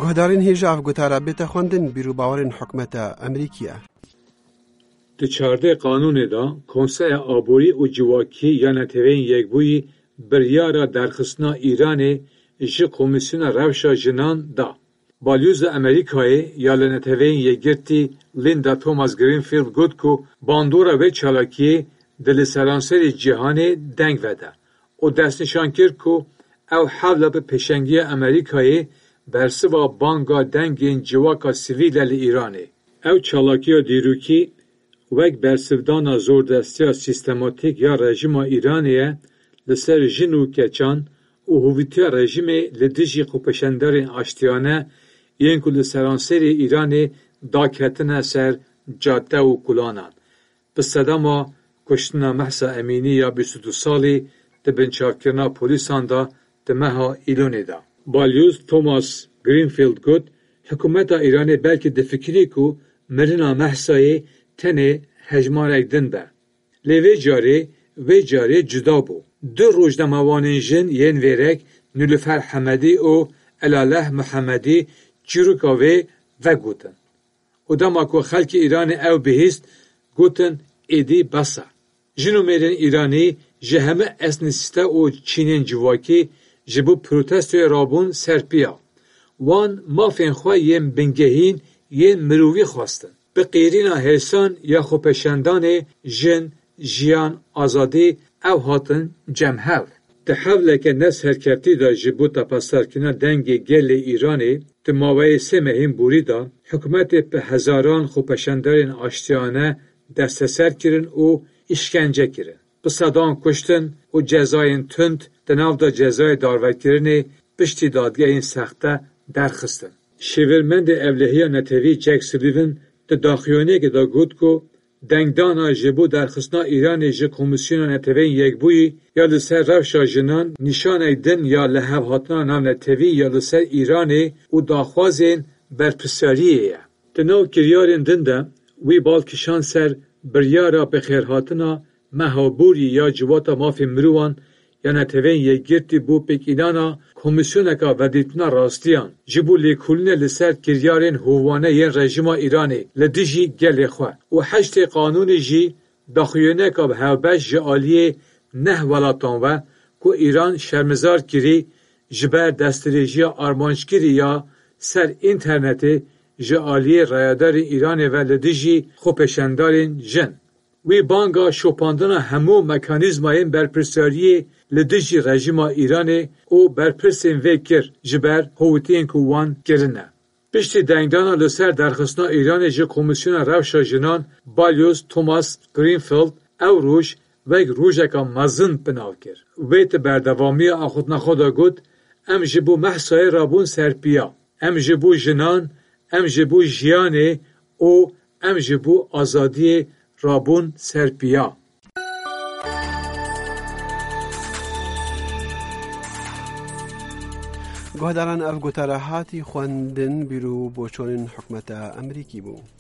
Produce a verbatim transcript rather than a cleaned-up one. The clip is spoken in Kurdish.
Guhdarên hêja ev gotara bête xwendin, bîr û bawerên hikûmeta Amerîkî ye. Di çardeh qanûnê de Konseya Aborî û Civakî ya Neteweyên Yekbûyî biryara derxistina Îranê ji Komîsyona Rewşa Jinan da. Balyoza Amerîkayê ya li Neteweyên Yekgirtî Linda Thomas Greenfield got ku bandora vê çalakiyê di li seranserê cîhanê deng vede û destnîşan kir ku ew hewla bi pêşengiya Amerîkayê bersiva banga dengên civaka sivîl e li Îranê. Ew çalakiya dîrokî wek bersivdana zordestiya sîstematîk ya rejîma Îranê ye li ser jin û keçan û hovîtiya rejîmê li dijî xwepêşandarên aştiyane yên ku li seranserê Îranê daketine ser cadde û kolanan. Bi sedema kuştina Mehsa Emînî ya bîst û du salî di binçavkirina polîsan de di meha Îlonê de. Balyoz Thomas Greenfield got, Hikûmeta Îranê belkî difikirî ku mirina Mehsayê tenê hejmarek din be. Lê vê carê, vê carê cuda bû. Du rojnamevanên jin yên vêrek Nilüfer Hemedî û Elaleh Muhemedî çîroka wê vegotin. Û dema ku xelkê Îranê ew bihîst, gotin, êdî bes e. Jin û mêrên Îranî ji hemû esnîsîte û çînên civakî ji bo protestoyê rabûn ser piya. Wan mafên xwe yên bingehîn yên mirovî xwestin. Bi qîrîna hêsan ya xwepêşandanê jin, jiyan, azadî ew hatin cem hev. Di hewleke ne serkevtî de ji bo tepesdarkirina dengê gelê Îranê di maweyê sê mehên borî de hikûmetê bi hezaran xwepêşandarên aştiyane desteser kirin û îşkence kirin. Bi sedan kuştin û cezayên tund di nav de cezayê darvekirinê piştî dadgehên sexte derxistin. Şêwirmendê ewlehiya netewî Jack Sullivan di daxuyaniyekê de got ku dengdana ji bo derxistina Îranê ji Komîsyona Neteweyên Yekbûyî ya li ser rewşa jinan nîşanek din ya lihevhatina navnetewî ya li ser Îranê û daxwazên berpirsyariyê ye. Di nav kiryarên din de wî bal kişand ser biryara bixêrhatina meha borî ya Civata Mafên Mirovan ya Neteweyên Yekgirtî bo pêkînana Komîsyoneka Vedîtina Rastiyan ji bo lêkolînê li ser kiryarên hovane yên rejîma Îranê li dijî gelê xwe û heştê qanûnê jî daxuyaniyeka bi hevbeş ji aliyê neh welatan ve ku Îran şermizar kirî ji ber destdirêjiya armanckirî ya ser înternetê ji aliyê rayedarên Îranê ve li dijî xwepêşandarên jin. Wî banga şopandina hemû mekanîzmayên berpirsiyariyê li dijî rejîma Îranê û berpirsên vê kir ji ber howitiyên ku wan kirine. Piştî dengdana li ser derxistina Îranê ji Komîsyona Rewşa Jinan, Balyoz Thomas Greenfield ew roj wek rojeka mezin bi nav kir. Wê di berdewamiya axiftina xwe de got, Em ji bo Mehsayê rabûn ser piya. Em ji bo jinan, em ji bo jiyanê û em ji bo azadiyê rabûn ser piya. Guhdaran, ev gotara hatî xwendin, bîr û boçonên hikûmeta Amerîkî bû.